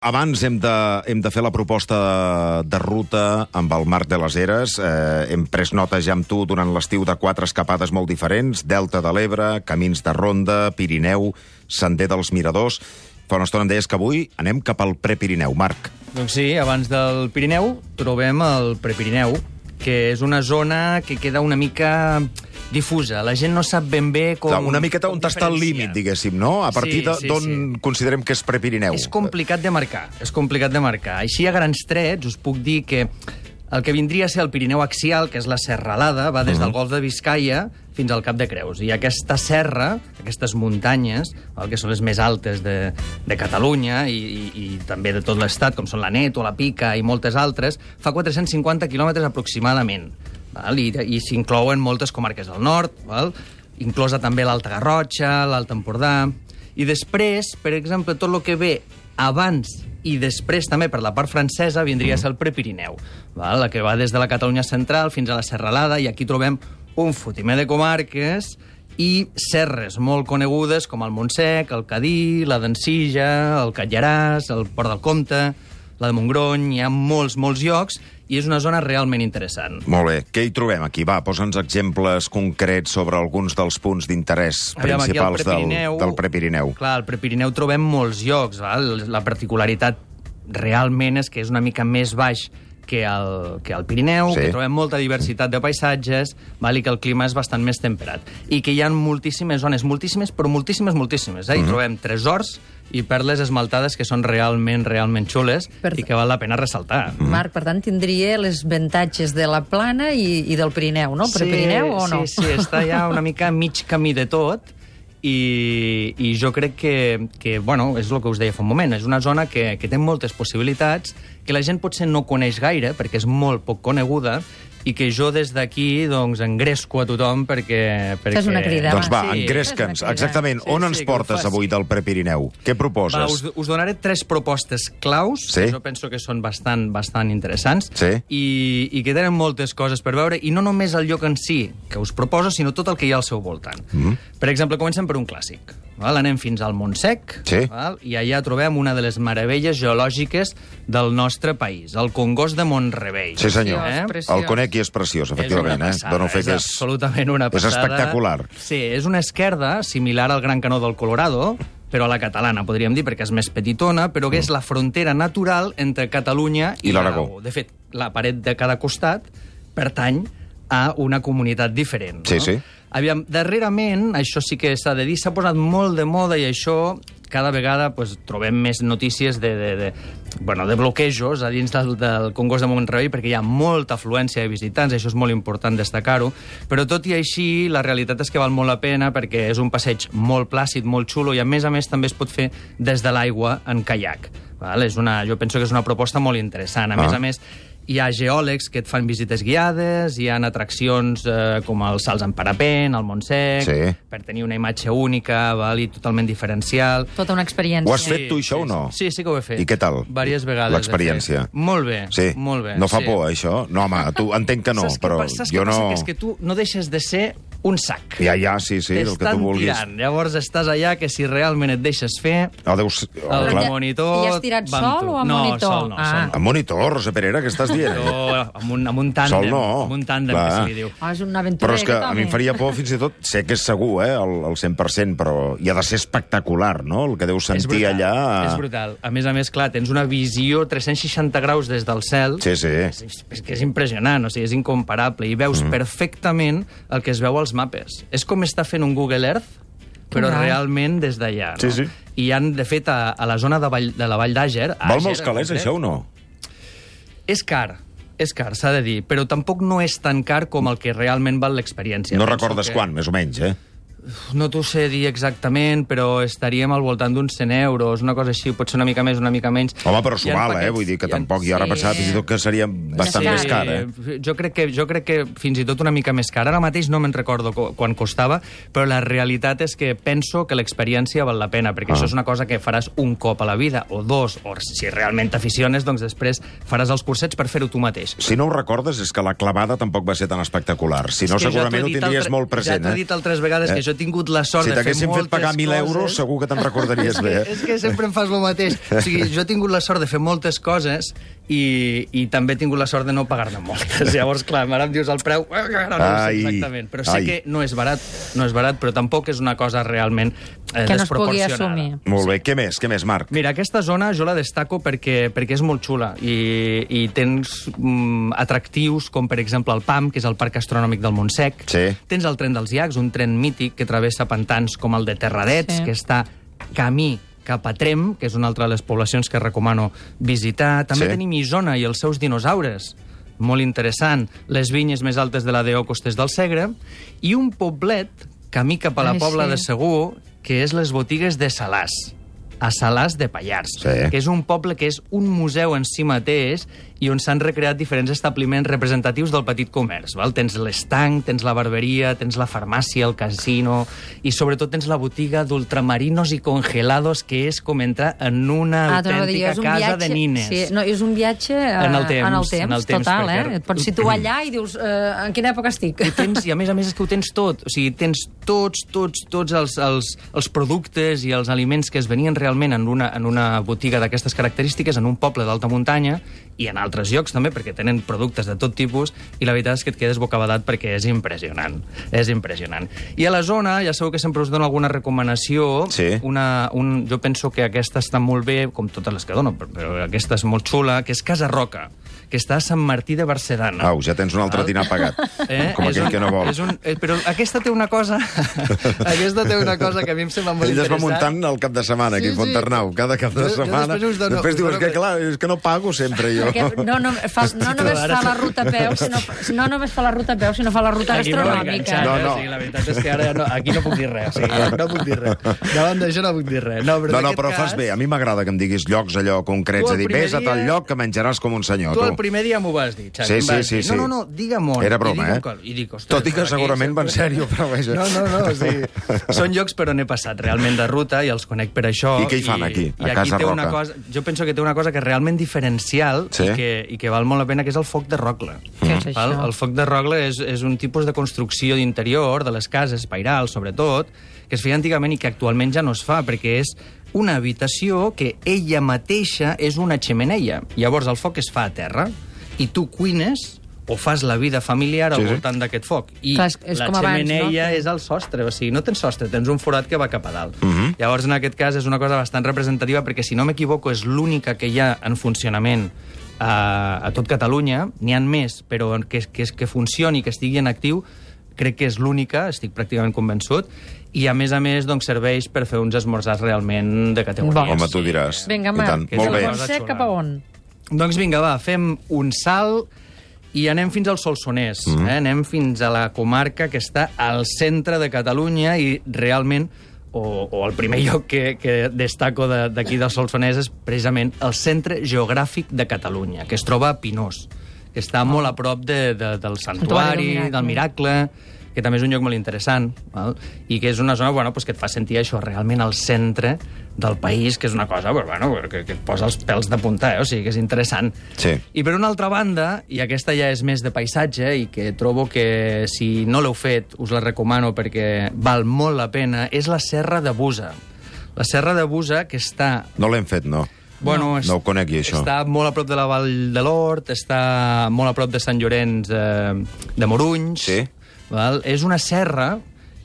Abans hem de fer la proposta de ruta amb el Marc de les Heres. Hem pres nota ja amb tu durant l'estiu de 4 escapades molt diferents: Delta de l'Ebre, Camins de Ronda, Pirineu, Sender dels Miradors. Fa una estona em deies que avui anem cap al Prepirineu, Marc. Doncs sí, abans del Pirineu trobem el Prepirineu, que és una zona que queda una mica difusa. La gent no sap ben bé com... Una miqueta on està el límit, diguéssim, no? A partir d'on considerem que és Prepirineu. És complicat de marcar, Així, a grans trets, us puc dir que el que vindria a ser el Pirineu axial, que és la serralada, va des del Golf de Biscaia fins al Cap de Creus. I aquesta serra, aquestes muntanyes, que són les més altes de Catalunya i també de tot l'Estat, com són la Neto, la Pica i moltes altres, fa 450 quilòmetres aproximadament. I s'inclouen moltes comarques del nord, inclosa també l'Alta Garrotxa, l'Alt Empordà. I després, per exemple, tot el que ve abans i després també per la part francesa vindria a ser el Prepirineu, la que va des de la Catalunya central fins a la Serralada, i aquí trobem un fotimer de comarques i serres molt conegudes com el Montsec, el Cadí, la d'Ensilla, el Catlllaràs, el Port del Comte, la de Montgrony. Hi ha molts llocs i és una zona realment interessant. Molt bé. Què hi trobem aquí? Va, posa'ns exemples concrets sobre alguns dels punts d'interès principals del Prepirineu. Clar, al Prepirineu trobem molts llocs. La particularitat realment és que és una mica més baix que el Pirineu, que trobem molta diversitat de paisatges, i que el clima és bastant més temperat. I que hi ha moltíssimes zones, però moltíssimes. Hi trobem tresors i perles esmaltades que són realment xules i que val la pena ressaltar. Marc, per tant, tindria les avantatges de la plana i del Pirineu, no? Prepirineu o no? Sí, està ja una mica mig camí de tot. I jo crec que bueno, és el que us deia fa un moment, és una zona que té moltes possibilitats, que la gent potser no coneix gaire, perquè és molt poc coneguda, i que jo des d'aquí engresco a tothom perquè... Fes una crida. Doncs va, engresca'ns. Exactament. On ens portes avui del Prepirineu? Què proposes? Us donaré 3 propostes claus, que jo penso que són bastant interessants, i que tenen moltes coses per veure, i no només el lloc en si que us proposo, sinó tot el que hi ha al seu voltant. Per exemple, comencem per un clàssic. Anem fins al Montsec, i allà trobem una de les meravelles geològiques del nostre país, el Congost de Mont-rebei. Sí, senyor. El conec i és preciós, efectivament. És absolutament una passada. És espectacular. Sí, és una esquerda similar al Gran Canó del Colorado, però a la catalana, podríem dir, perquè és més petitona, però que és la frontera natural entre Catalunya i l'Aragó. De fet, la paret de cada costat pertany a una comunitat diferent. Sí. Aviam, darrerament, això sí que s'ha de dir, s'ha posat molt de moda, i això cada vegada trobem més notícies de bloquejos a dins del Congost de Mont-rebei, perquè hi ha molta afluència de visitants, això és molt important destacar-ho, però tot i així la realitat és que val molt la pena, perquè és un passeig molt plàcid, molt xulo, i a més també es pot fer des de l'aigua en caiac. Jo penso que és una proposta molt interessant. A més, hi ha geòlegs que et fan visites guiades, hi ha atraccions com els salts en parapent, al Montsec, per tenir una imatge única i totalment diferencial. Tota una experiència. Ho has fet tu, això, o no? Sí que ho he fet. I què tal? Diverses vegades. L'experiència. Molt bé, molt bé. No fa por, això? No, home, tu entenc que no, però jo no... Saps què passa? Que és que tu no deixes de ser un sac. Ja, sí, el que tu vulguis. T'estan tirant. Llavors estàs allà que si realment et deixes fer... El monitor... I has tirat sol o amb monitor? No, sol. Amb monitor, Rosa Perera, què estàs dient? Amb un tàndem. Sol no. Amb un tàndem, que se li diu. És una aventura. Però és que a mi em faria por, fins i tot, sé que és segur, el 100%, però hi ha de ser espectacular, no?, el que deus sentir allà. És brutal. A més, clar, tens una visió 360 graus des del cel. Sí. És que és impressionant, és incomparable, i veus perfectament el que es veu als mapes. És com estar fent un Google Earth, però realment des d'allà. Sí. I de fet, a la zona de la Vall d'Àger... Val molts calés, això, o no? És car, s'ha de dir, però tampoc no és tan car com el que realment val l'experiència. No recordes quan, més o menys, No t'ho sé dir exactament, però estaríem al voltant d'uns 100 euros, una cosa així, pot ser una mica més, una mica menys. Home, però s'ho val, vull dir que tampoc jo ara pensava fins i tot que seria bastant més car, Jo crec que fins i tot una mica més car. Ara mateix no me'n recordo quan costava, però la realitat és que penso que l'experiència val la pena, perquè això és una cosa que faràs un cop a la vida, o dos, o si realment t'aficiones, doncs després faràs els cursets per fer-ho tu mateix. Si no ho recordes, és que la clavada tampoc va ser tan espectacular. Si no, segurament ho tindries molt present. Ja t'ho he dit altres vegades, que jo he tingut la sort Si de fer t'haguessin moltes fet pagar 1.000 euros, segur que te'n recordaries bé. És que sempre em fas el mateix. O sigui, jo he tingut la sort de fer moltes coses i també he tingut la sort de no pagar-ne moltes. Llavors, clar, ara em dius el preu, no ho sé exactament. Però sé que no és barat, però tampoc és una cosa realment que no es pugui assumir. Molt bé. Què més, Marc? Mira, aquesta zona jo la destaco perquè és molt xula i tens atractius com, per exemple, el PAM, que és el Parc Astronòmic del Montsec. Sí. Tens el Tren dels Llacs, un tren mític que travessa pantans com el de Terradets, que està camí cap a Trem, que és una altra de les poblacions que recomano visitar. També tenim Isona i els seus dinosaures, molt interessant. Les vinyes més altes de la D.O. Costes del Segre. I un poblet, camí cap a la Pobla de Segur, que és les botigues de Salàs, a Salàs de Pallars, que és un poble que és un museu en si mateix i on s'han recreat diferents establiments representatius del petit comerç. Val? Tens l'estanc, tens la barberia, tens la farmàcia, el casino i sobretot tens la botiga d'ultramarinos i congelados, que és com entrar en una autèntica casa de nines. Sí, no, és un viatge en el temps total, Et pots situar allà i dius, en quina època estic? I a més és que ho tens tot. O sigui, tens tots els productes i els aliments que es venien realment en una botiga d'aquestes característiques, en un poble d'alta muntanya, i en altres llocs també, perquè tenen productes de tot tipus, i la veritat és que et quedes bocabadat perquè és impressionant. És impressionant. I a la zona, ja sabeu que sempre us dono alguna recomanació. Sí. Jo penso que aquesta està molt bé, com totes les que dono, però aquesta és molt xula, que és Casa Roca, que està a Sant Martí de Barcedana. Au, ja tens un altre dinar pagat, com aquell que no vol. Però aquesta té una cosa que a mi em sembla molt interessant. Ell es va muntant el cap de setmana, aquí a Fonternau, cada cap de setmana. Després dius que, clar, és que no pago sempre, jo. No només fa la ruta a peu, sinó fa la ruta gastronòmica. No. La veritat és que ara aquí no puc dir res. No puc dir res. Davant d'això no puc dir res. No, però fas bé. A mi m'agrada que em diguis llocs allò concrets. És a dir, vés a tal lloc que menjaràs com un senyor. Tu el primer dia m'ho vas dir, Xavi. Sí. No, digue'm on. Era broma, Tot i que segurament va en sèrio, però vaja. No. Són llocs per on he passat realment de ruta i els conec per això. I què hi fan aquí, a Casa Roca? Jo penso que té una cosa que és realment diferencial i que val molt la pena, que és el foc de rogle. Què és això? El foc de rogle és un tipus de construcció d'interior de les cases, pairals, sobretot, que es feia antigament i que actualment ja no es fa, perquè és una habitació que ella mateixa és una xemeneia. Llavors el foc es fa a terra i tu cuines o fas la vida familiar al voltant d'aquest foc. I la xemeneia és el sostre, o sigui, no tens sostre, tens un forat que va cap a dalt. Llavors, en aquest cas, és una cosa bastant representativa, perquè, si no m'equivoco, és l'única que hi ha en funcionament a tot Catalunya. N'hi ha més, però que funcioni, que estigui en actiu, crec que és l'única, estic pràcticament convençut, i a més, doncs, serveix per fer uns esmorzars realment de categoria. Home, tu diràs. Vinga, Marc, molt bé. Cap a on? Doncs vinga, va, fem un salt i anem fins al Solsonès. Anem fins a la comarca que està al centre de Catalunya i realment, o el primer lloc que destaco d'aquí del Solsonès és precisament el centre geogràfic de Catalunya, que es troba a Pinós, que està molt a prop del Santuari, del Miracle, que també és un lloc molt interessant, val? I que és una zona que et fa sentir això realment al centre del país, que és una cosa que et posa els pèls de punta, o sigui que és interessant. Sí. I per una altra banda, i aquesta ja és més de paisatge, i que trobo que si no l'heu fet us la recomano perquè val molt la pena, és la Serra de Busa. La Serra de Busa, que està... No l'hem fet, no. No ho conec, això. Està molt a prop de la Vall de l'Hort, està molt a prop de Sant Llorenç de Morunys. Sí. Val? És una serra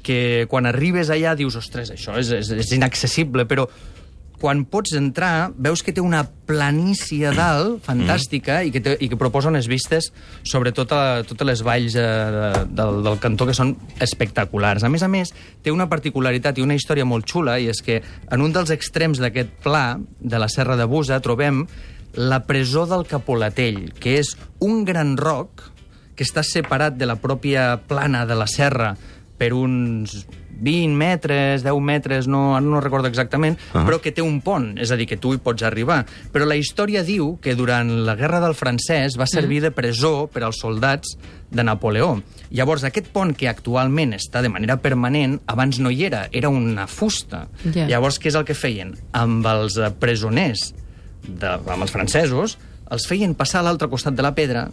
que quan arribes allà dius, ostres, això és inaccessible, però quan pots entrar veus que té una planícia a dalt fantàstica i que proposa unes vistes sobre totes les valls del cantó que són espectaculars. A més, té una particularitat i una història molt xula, i és que en un dels extrems d'aquest pla de la Serra de Busa trobem la presó del Capolatell, que és un gran roc que està separat de la pròpia plana de la serra per uns 20 metres, 10 metres, no recordo exactament, però que té un pont, és a dir, que tu hi pots arribar. Però la història diu que durant la Guerra del Francès va servir de presó per als soldats de Napoleó. Llavors, aquest pont, que actualment està de manera permanent, abans no hi era una fusta. Llavors, què és el que feien? Amb els presoners, amb els francesos, els feien passar a l'altre costat de la pedra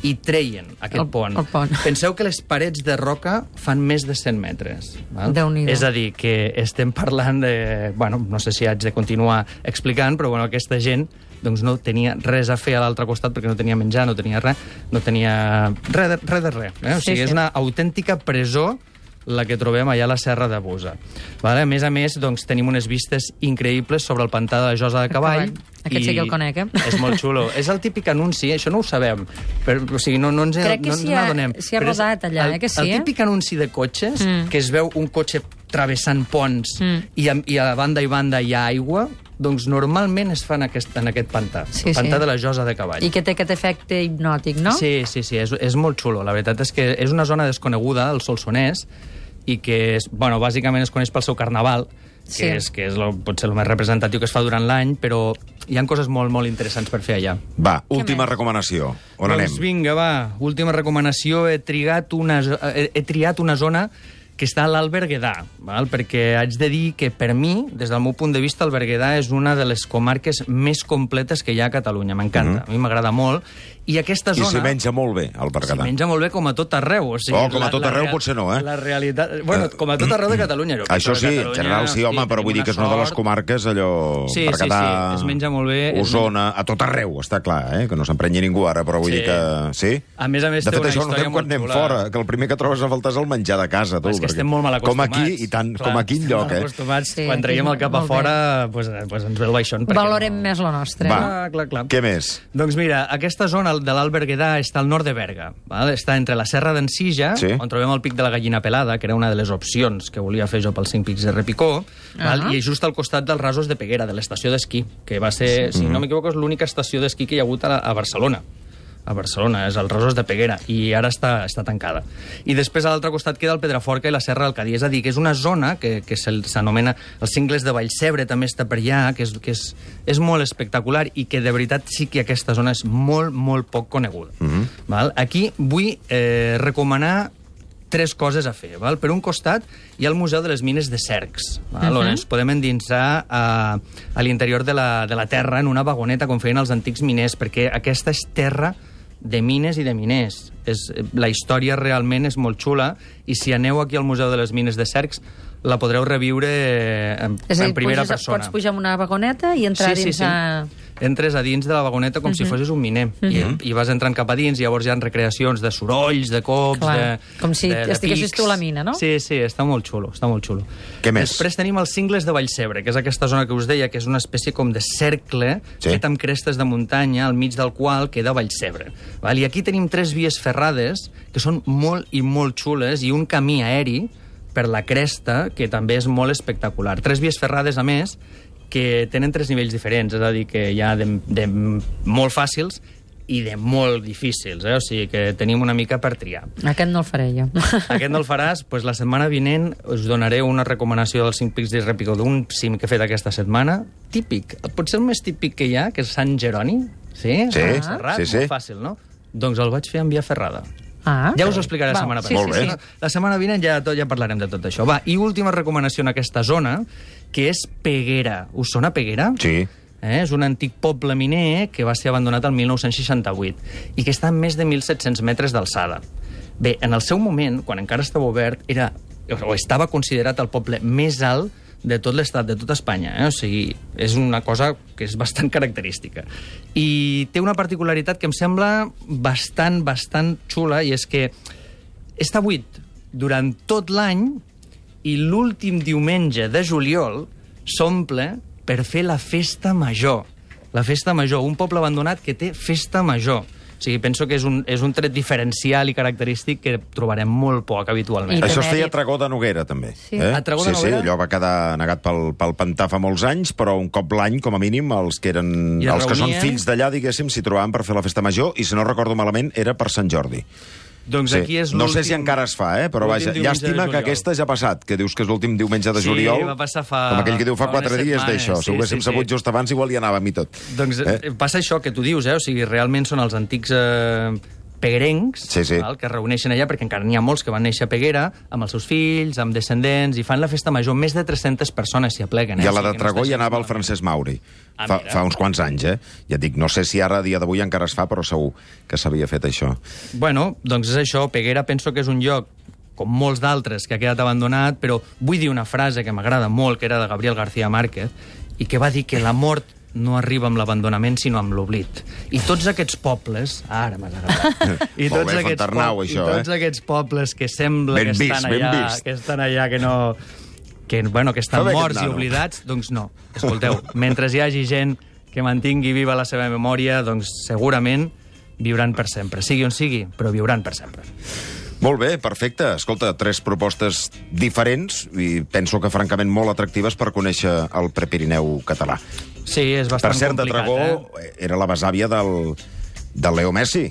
i treien aquest pont. El pont. Penseu que les parets de roca fan més de 100 metres. Val? Déu-n'hi-do. És a dir, que estem parlant de... Bueno, no sé si haig de continuar explicant, però bueno, aquesta gent doncs no tenia res a fer a l'altre costat perquè no tenia menjar, no tenia res, no tenia res de res. O sigui, és una autèntica presó la que trobem allà a la Serra de Busa. Vale? A més, doncs, tenim unes vistes increïbles sobre el pantà de la Josa de Cavall. Aquest sí que el conec, És molt xulo. És el típic anunci, això no ho sabem. Però, o sigui, no ens n'adonem. S'hi ha rodat allà, que sí, El típic anunci de cotxes, que es veu un cotxe travessant ponts i a banda i banda hi ha aigua, doncs normalment es fa en aquest pantà, el pantà de la Josa de Cavall. I que té aquest efecte hipnòtic, no? Sí, és molt xulo. La veritat és que és una zona desconeguda, el Solsonès, i que, bàsicament es coneix pel seu carnaval, que és potser el més representatiu que es fa durant l'any, però hi ha coses molt, molt interessants per fer allà. Va, última recomanació. On anem? Doncs vinga, va, última recomanació. He triat una zona que està a l'Alt Berguedà, perquè haig de dir que, per mi, des del meu punt de vista, el Berguedà és una de les comarques més completes que hi ha a Catalunya. M'encanta, a mi m'agrada molt. I aquesta zona... I s'hi menja molt bé, al Berguedà. S'hi menja molt bé com a tot arreu. O sigui, com a tot arreu potser no, eh? La realitat... Bueno, com a tot arreu de Catalunya. Això sí, en general sí, home, però vull dir que és una de les comarques, allò... Berguedà, es menja molt bé. Osona, a tot arreu, està clar, que no s'emprenyi ningú ara, però vull dir que... Sí? A més, de fet, això no fem quan anem fora, que el primer que trobes a faltar és el menjar de casa, tu. És que estem molt mal acostumats. Com aquí, i tant, com aquí enlloc, acostumats, quan traiem el cap a fora, doncs ens ve el baixón. Valorem més la nostra. Va, què més? Doncs mira, aquesta zona de l'Alt Berguedà està al nord de Berga. Està entre la Serra d'en Sija, on trobem el pic de la Gallina Pelada, que era una de les opcions que volia fer jo pels 5 pics de Repicó, i just al costat dels Rasos de Peguera, de l'estació d'esquí, que va ser, si no m'equivoco, és l'única estació d'esquí que hi ha hagut a Barcelona. A Barcelona, és el Rasos de Peguera, i ara està tancada. I després a l'altre costat queda el Pedraforca i la Serra del Cadí, és a dir, que és una zona que s'anomena els Cingles de Vallcebre, també està per allà, que és molt espectacular i que de veritat sí que aquesta zona és molt, molt poc coneguda. Aquí vull recomanar 3 coses a fer. Per un costat hi ha el Museu de les Mines de Cercs, on ens podem endinsar a l'interior de la terra en una vagoneta, com feien els antics miners, perquè aquesta és terra de mines i de miners. La història realment és molt xula, i si aneu aquí al Museu de les Mines de Cercs la podreu reviure en primera persona. Pots pujar en una vagoneta i entrar dins a... Entres a dins de la vagoneta com si fossis un miner. I vas entrant cap a dins, i llavors hi ha recreacions de sorolls, de cops... Com si estiguessis tu a la mina, no? Sí, està molt xulo, està molt xulo. Què més? Després tenim els Cingles de Vallcebre, que és aquesta zona que us deia, que és una espècie com de cercle fet amb crestes de muntanya, al mig del qual queda Vallcebre. I aquí tenim 3 vies ferrades, que són molt i molt xules, i un camí aeri per la cresta, que també és molt espectacular. 3 vies ferrades, a més, que tenen 3 nivells diferents, és a dir, que hi ha de molt fàcils i de molt difícils, o sigui que tenim una mica per triar. Aquest no el faré jo. Aquest no el faràs? Doncs la setmana vinent us donaré una recomanació dels 5 pics de Repicó, d'un cim que he fet aquesta setmana. Típic, potser el més típic que hi ha, que és Sant Jeroni. Sí? Serrat, molt fàcil, no? Doncs el vaig fer en via ferrada. Ja us ho explicaré la setmana vinent. La setmana vinent ja parlarem de tot això. I última recomanació en aquesta zona, que és Peguera. Us sona Peguera? Sí. És un antic poble miner que va ser abandonat el 1968 i que està a més de 1.700 metres d'alçada. Bé, en el seu moment, quan encara estava obert, estava considerat el poble més alt de tot l'estat, de tot Espanya. O sigui, és una cosa que és bastant característica. I té una particularitat que em sembla bastant xula, i és que està buit durant tot l'any i l'últim diumenge de juliol s'omple per fer la festa major. La festa major, un poble abandonat que té festa major. O sigui, penso que és un tret diferencial i característic que trobarem molt poc habitualment. Això es feia a Tragó de Noguera, també. A Tragó de Noguera? Sí, allò va quedar negat pel pantà fa molts anys, però un cop l'any, com a mínim, els que són fills d'allà, diguéssim, s'hi trobaven per fer la festa major, i si no recordo malament, era per Sant Jordi. Doncs aquí és no sé si encara es fa, però vaja, llàstima que aquesta ja ha passat, que dius que és l'últim diumenge de juliol. Sí, va passar com aquell que diu fa 4 dies d'això. Si ho haguéssim sabut just abans, igual hi anàvem i tot. Doncs passa això que tu dius, o sigui, realment són els antics peguerencs, Sí, sí. val, que es reuneixen allà, perquè encara n'hi ha molts que van néixer a Peguera, amb els seus fills, amb descendents, i fan la festa major. Més de 300 persones s'hi apleguen. I a la O sigui de que no Tragó està hi gens anava el malament. Francesc Mauri. Ah, mira. Fa uns quants anys, Ja et dic, no sé si ara, a dia d'avui, encara es fa, però segur que s'havia fet això. Bueno, doncs és això. Peguera penso que és un lloc, com molts d'altres, que ha quedat abandonat, però vull dir una frase que m'agrada molt, que era de Gabriel García Márquez, i que va dir que la mort no arriba amb l'abandonament, sinó amb l'oblit. I tots aquests pobles... Ara m'has agradat. I Molt bé, Fontarnau, això, I tots aquests pobles que sembla Ben que vist, estan ben allà, vist. que estan allà, que no... Que, bueno, que estan Fa bé morts aquest i nano. oblidats, doncs no. Escolteu, mentre hi hagi gent que mantingui viva la seva memòria, doncs segurament viuran per sempre. Sigui on sigui, però viuran per sempre. Molt bé, perfecte. Escolta, 3 propostes diferents i penso que francament molt atractives per conèixer el Prepirineu català. Sí, és bastant Per cert, de complicat, Tragó era la besàvia del Leo Messi.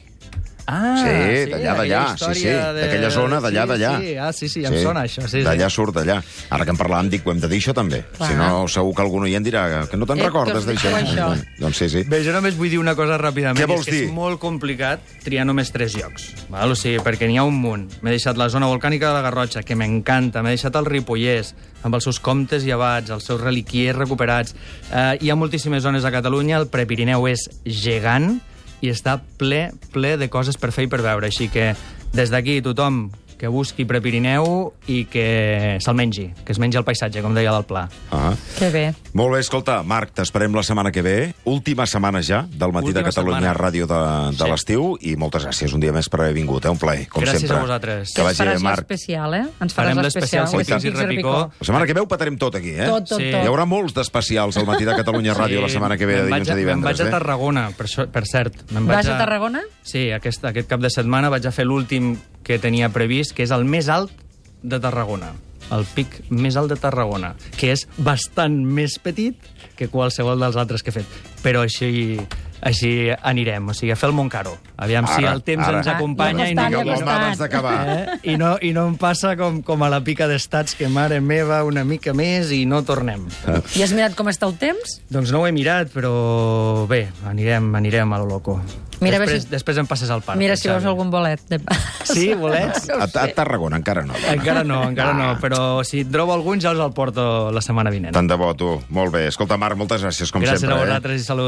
Ah, Sí, d'allà, sí, d'aquella zona, d'allà. Sí, em sona això, sí. D'allà surt, d'allà. Ara que en parlàvem, dic, ho hem de dir això també. Clar. Si no, segur que algun oient dirà que no te'n Que recordes us d'això. diu això. Doncs sí. Bé, jo només vull dir una cosa ràpidament. Què vols és que dir? És molt complicat triar només 3 llocs. Val? O sigui, perquè n'hi ha un munt. M'he deixat la zona volcànica de la Garrotxa, que m'encanta. M'he deixat el Ripollès, amb els seus comtes i abats, els seus reliquiers recuperats. Hi ha moltíssimes zones a Catalunya. El Prepirineu és gegant i està ple de coses per fer i per veure. Així que, des d'aquí, tothom que busqui Prepirineu i que se'l mengi, que es mengi el paisatge, com deia del Pla. Ah. Que bé. Molt bé, escolta, Marc, t'esperem la setmana que ve. Última setmana ja del Matí de Última Catalunya setmana. Ràdio de Sí. l'estiu i moltes gràcies un dia més per haver vingut. Un plaer, com Gràcies sempre. a vosaltres. Que Ens vagi bé, faràs Marc. l'especial, Ens faràs Farem l'especial. l'especial Cinc i Repicó. La setmana que ve ho patarem tot aquí, Tot. Sí. Hi haurà molts d'especials al Matí de Catalunya Ràdio la setmana que ve, de dilluns a divendres. Me'n vaig a Tarragona, per cert. Vas a Tarragona? Sí, aquest cap de setmana vaig a fer l'últim que tenia previst, que és el més alt de Tarragona. El pic més alt de Tarragona, que és bastant més petit que qualsevol dels altres que he fet. Però així anirem, o sigui, a fer el Montcaro. Aviam si Ara, el temps ara. ens acompanya Ja i no, costat, ja abans d'acabar. I no em passa com a la pica d'estats, que mare meva, una mica més i no tornem. I has mirat com està el temps? Doncs no ho he mirat, però bé, anirem a lo loco. Mira, a veure si- Després em passes al parc. Mira si veus Xavi. algun bolet. Sí, bolets? No ho A sé. Tarragona encara no. Encara no, però si en trobo algun ja us el porto la setmana vinent. Tant de bo, tu. Molt bé. Escolta, Marc, moltes gràcies, com Gràcies sempre. a vosaltres i salut.